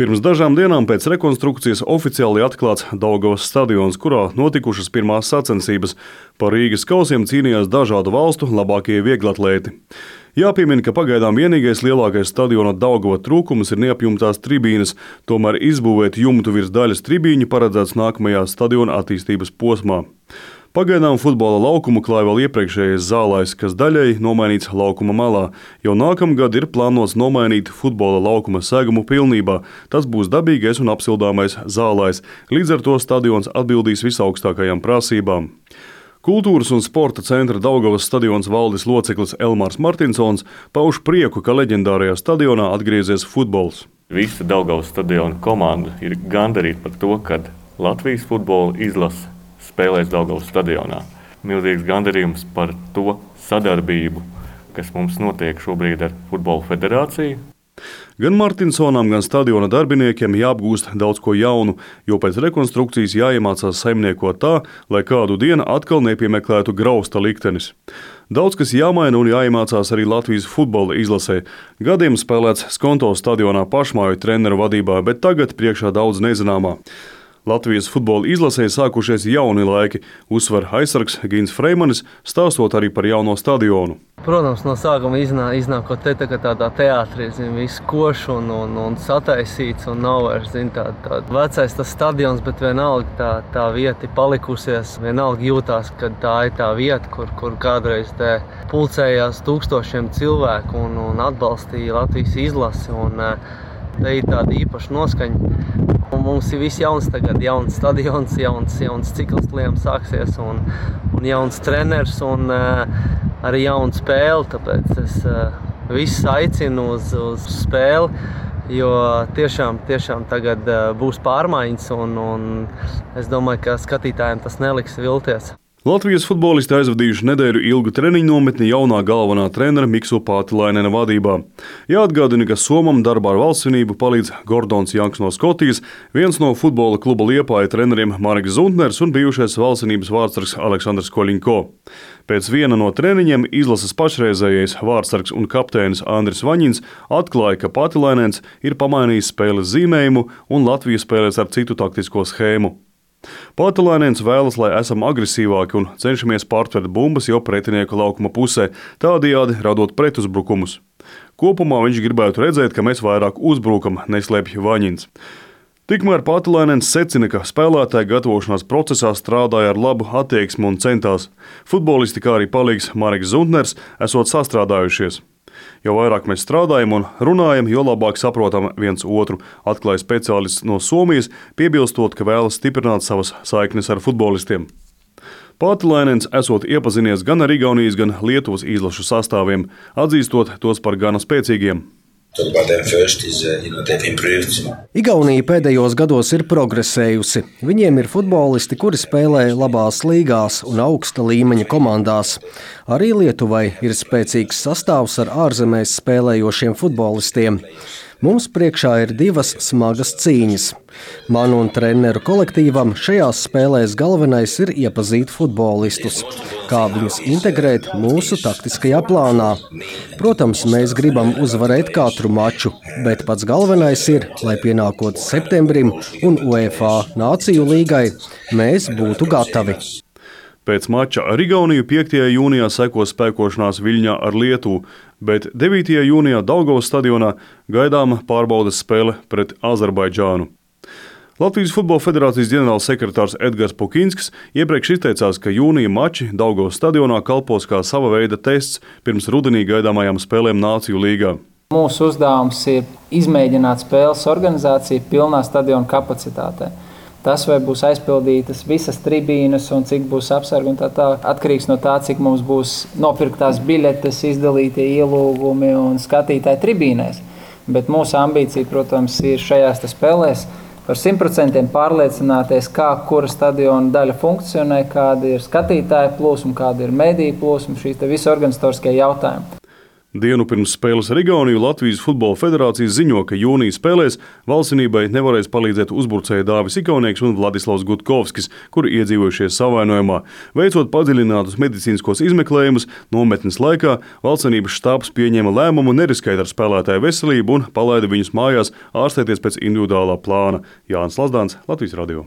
Pirms dažām dienām pēc rekonstrukcijas oficiāli atklāts Daugavas stadions, kurā notikušas pirmās sacensības. Par Rīgas kausiem cīnījās dažādu valstu labākie vieglatlēti. Jāpiemina, ka pagaidām vienīgais lielākais stadiona Daugava trūkums ir neapjumtās tribīnes, tomēr izbūvēt jumtu virs daļas tribīņu paredzēts nākamajā stadiona attīstības posmā. Pagaidām futbola laukumu klāja vēl iepriekšējais zālājs, kas daļēji nomainīts laukuma malā. Jau nākamgad ir plānots nomainīt futbola laukuma segumu pilnībā. Tas būs dabīgais un apsildāmais zālājs. Līdz ar to stadions atbildīs visaugstākajām prasībām. Kultūras un sporta centra Daugavas stadions valdes loceklis Elmārs Martinsons pauž prieku, ka leģendārajā stadionā atgriezies futbols. Visa Daugavas stadiona komanda ir gandarīta par to, ka Latvijas futbola izlase spēlēs Daugavas stadionā. Milzīgs gandarījums par to sadarbību, kas mums notiek šobrīd ar Futbola federāciju. Gan Martinsonam, gan stadiona darbiniekiem jāapgūst daudz ko jaunu, jo pēc rekonstrukcijas jāiemācās saimniekot tā, lai kādu dienu atkal nepiemeklētu grausta liktenis. Daudz kas jāmaina un jāiemācās arī Latvijas futbola izlasē. Gadiem spēlēts Skonto stadionā pašmāju treneru vadībā, bet tagad priekšā daudz nezināmā. Latvijas futbola izlasē sākušies jauni laiki, uzsver aizsargs Gins Freimanis, stāstot arī par jauno stadionu. Protams, no sākuma iznākot te tādā teātrī, viss košs un sataisīts un nav vairs tā vecais tas stadions, bet vienalga tā vieta ir palikusies. Vienalga jūtās, ka tā ir tā vieta, kur kādreiz te pulcējās tūkstošiem cilvēku un atbalstīja Latvijas izlasi. Te ir tāda īpaša noskaņa. Un mums ir viss jauns tagad, jauns stadions, jauns cikls liem sāksies un jauns treneris un arī jauna spēle. Tāpēc es visus aicinu uz spēli, jo tiešām tagad būs pārmaiņas un es domāju, ka skatītājiem tas neliks vilties. Latvijas futbolisti aizvadījuši nedēļu ilgu treniņu nometni jaunā galvenā trenera Miksu Pātilainena vadībā. Jāatgādina, ka Somam darbā ar valstsvinību palīdz Gordons Janks no Skotijas, viens no futbola kluba Liepāja treneriem Mareks Zuntners un bijušais valstsvinības vārdsargs Aleksandrs Koļinko. Pēc viena no treniņiem izlases pašreizējais vārdsargs un kapteinis Andris Vaņins atklāja, ka Pātilainens ir pamainījis spēles zīmējumu un Latvija spēlēs ar citu taktisko schēmu. Pātilainens vēlas, lai esam agresīvāki un cenšamies pārtvert bumbas jau pretinieku laukuma pusē, tādējādi radot pretuzbrukumus. Kopumā viņš gribētu redzēt, ka mēs vairāk uzbrukam, neslēpj Vaņins. Tikmēr Pātilainens secina, ka spēlētāji gatavošanās procesā strādāja ar labu attieksmi un centās. Futbolisti, kā arī palīgs Mareks Zuntners, esot sastrādājušies. Jo vairāk mēs strādājam un runājam, jo labāk saprotam viens otru, atklāja speciālists no Somijas, piebilstot, ka vēlas stiprināt savas saiknes ar futbolistiem. Pātilainens esot iepazinies gan ar Igaunijas, gan Lietuvas izlašu sastāviem, atzīstot tos par gana spēcīgiem. Igaunija pēdējos gados ir progresējusi. Viņiem ir futbolisti, kuri spēlē labās līgās un augsta līmeņa komandās. Arī Lietuvai ir spēcīgs sastāvs ar ārzemēs spēlējošiem futbolistiem. Mums priekšā ir divas smagas cīņas. Man un treneru kolektīvam šajās spēlēs galvenais ir iepazīt futbolistus, kā viņus integrēt mūsu taktiskajā plānā. Protams, mēs gribam uzvarēt katru maču, bet pats galvenais ir, lai pienākot septembrim un UEFA Nāciju līgai, mēs būtu gatavi. Pēc mača ar Igauniju 5. jūnijā sekos spēkošanās Viļņā ar Lietuvu, bet 9. jūnijā Daugavas stadionā gaidāma pārbaudes spēle pret Azerbaidžānu. Latvijas Futbola federācijas ģenerāls sekretārs Edgars Pukinskis iepriekš izteicās, ka jūnija mači Daugavas stadionā kalpos kā sava veida tests pirms rudenī gaidāmajām spēlēm Nāciju līgā. Mūsu uzdevums ir izmēģināt spēles organizāciju pilnā stadiona kapacitātē. Tas, vai būs aizpildītas visas tribīnes un cik būs apsargi un tā, atkarīgs no tā, cik mums būs nopirktās biļetes, izdalītie ielūgumi un skatītāji tribīnēs. Bet mūsu ambīcija, protams, ir šajās spēlēs par 100% pārliecināties, kā kura stadiona daļa funkcionē, kāda ir skatītāja plūsma, kāda ir mediju plūsma, šīs visi organizatoriskie jautājumi. Dienu pirms spēles ar Igauniju Latvijas Futbola federācijas ziņo, ka jūnija spēlēs valstsvienībai nevarēs palīdzēt uzbrucēji Dāvis Ikaunieks un Vladislavs Gutkovskis, kuri iedzīvojušies savainojumā. Veicot padziļinātus medicīniskos izmeklējumus, nometnes laikā valstsvienības štābs pieņēma lēmumu neriskēt ar spēlētāju veselību un palaida viņus mājās ārstēties pēc individuālā plāna. Jānis Lazdāns, Latvijas radio.